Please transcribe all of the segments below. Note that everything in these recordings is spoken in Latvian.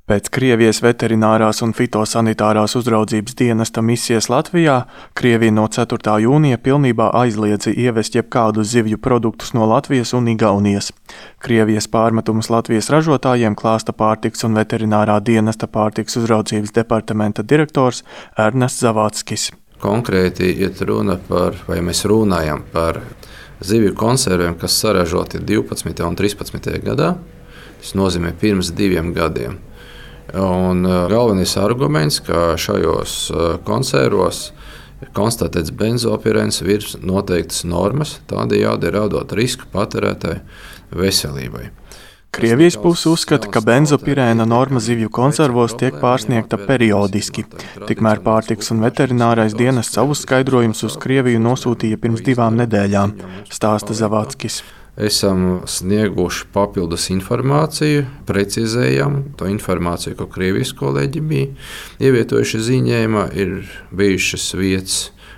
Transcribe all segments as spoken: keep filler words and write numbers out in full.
Pēc Krievijas veterinārās un fitosanitārās uzraudzības dienesta misijas Latvijā Krievija no ceturtā jūnija pilnībā aizliedza ievest jebkādus zivju produktus no Latvijas un Igaunijas. Krievijas pārmetumus Latvijas ražotājiem klāsta pārtikas un veterinārā dienesta pārtikas uzraudzības departamenta direktors Ernests Zavatskis. Konkrēti iet runa par, vai mēs runājam par zivju konserviem, kas saražoti divpadsmitajā un trīspadsmitajā gadā. Tas nozīmē pirms diviem gadiem. Un galvenais arguments, ka šajos konservos ir konstatēts benzopirēns virs noteiktas normas, tādējādi radot risku patērētāju veselībai. Krievijas puse uzskata, ka benzopirēna norma zivju konservos tiek pārsniegta periodiski. Tikmēr pārtikas un veterinārais dienests savus skaidrojumus uz Krieviju nosūtīja pirms divām nedēļām, stāsta Zavatskis. Esam snieguši papildus informāciju, precizējam to informāciju, ko Krievijas kolēģi bija ievietojuši ziņojumā. Ir bijušas vietas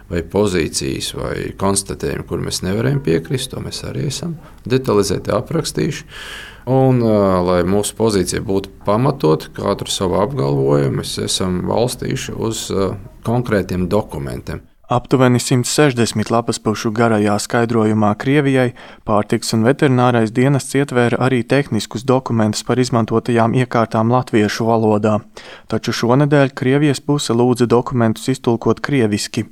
vai pozīcijas vai konstatējumi, kur mēs nevarējam piekrist, to mēs arī esam detalizēti aprakstījuši. Un, lai mūsu pozīcija būtu pamatot, katru savu apgalvojumu, mēs esam balstījuši uz konkrētiem dokumentiem. Aptuveni simt sešdesmit lapaspušu garajā skaidrojumā Krievijai pārtikas un veterinārais dienests ietvēra arī tehniskus dokumentus par izmantotajām iekārtām latviešu valodā. Taču šonedēļ Krievijas puse lūdza dokumentus iztulkot krieviski.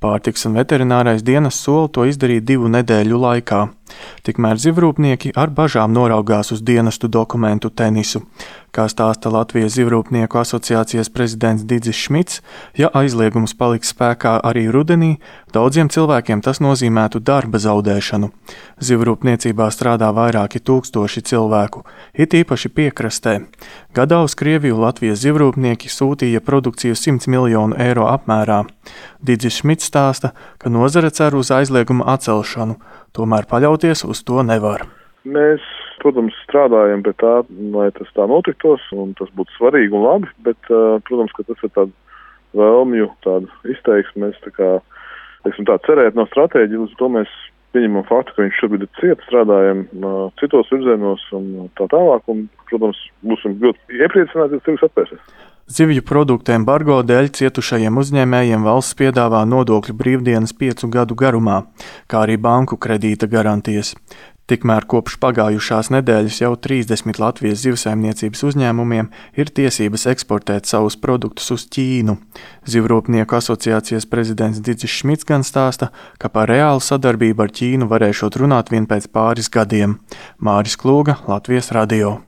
Pārtikas un veterinārais dienests sola to izdarīt divu nedēļu laikā. Tikmēr zivrūpnieki ar bažām noraugās uz dienestu dokumentu tenisu. Kā stāsta Latvijas zivrūpnieku asociācijas prezidents Didzis Šmits, ja aizliegums paliks spēkā arī rudenī, daudziem cilvēkiem tas nozīmētu darba zaudēšanu. Zivrūpniecībā strādā vairāki tūkstoši cilvēku, it īpaši piekrastē. Gadā uz Krieviju Latvijas zivrūpnieki sūtīja produkciju simts miljonu eiro apmērā. Didzis Šmits stāsta, ka nozare cer uz aizlieguma atcelšanu, tomēr paļauties uz to nevar. Mēs, protams, strādājam pie tā, lai tas tā notiktos, un tas būtu svarīgi un labi, bet, protams, ka tas ir tāda vēlmju, tāda izteiksme. Mēs tā kā, teiksim tā, cerēt nav stratēģija, līdz to mēs pieņemam faktu, ka viņš šobrīd ir ciet, strādājam citos virzienos un tā tālāk, un, protams, būsim ļoti iepriecināti, ja tirgus atvērsies. Zivju produktu embargo dēļ cietušajiem uzņēmējiem valsts piedāvā nodokļu brīvdienas piecu gadu garumā, kā arī banku kredīta garantijas. Tikmēr kopš pagājušās nedēļas jau trīsdesmit Latvijas zivsaimniecības uzņēmumiem ir tiesības eksportēt savus produktus uz Ķīnu. Zivrūpnieku asociācijas prezidents Didzis Šmits gan stāsta, ka par reālu sadarbību ar Ķīnu varēšot runāt vien pēc pāris gadiem. Māris Klūga, Latvijas radio.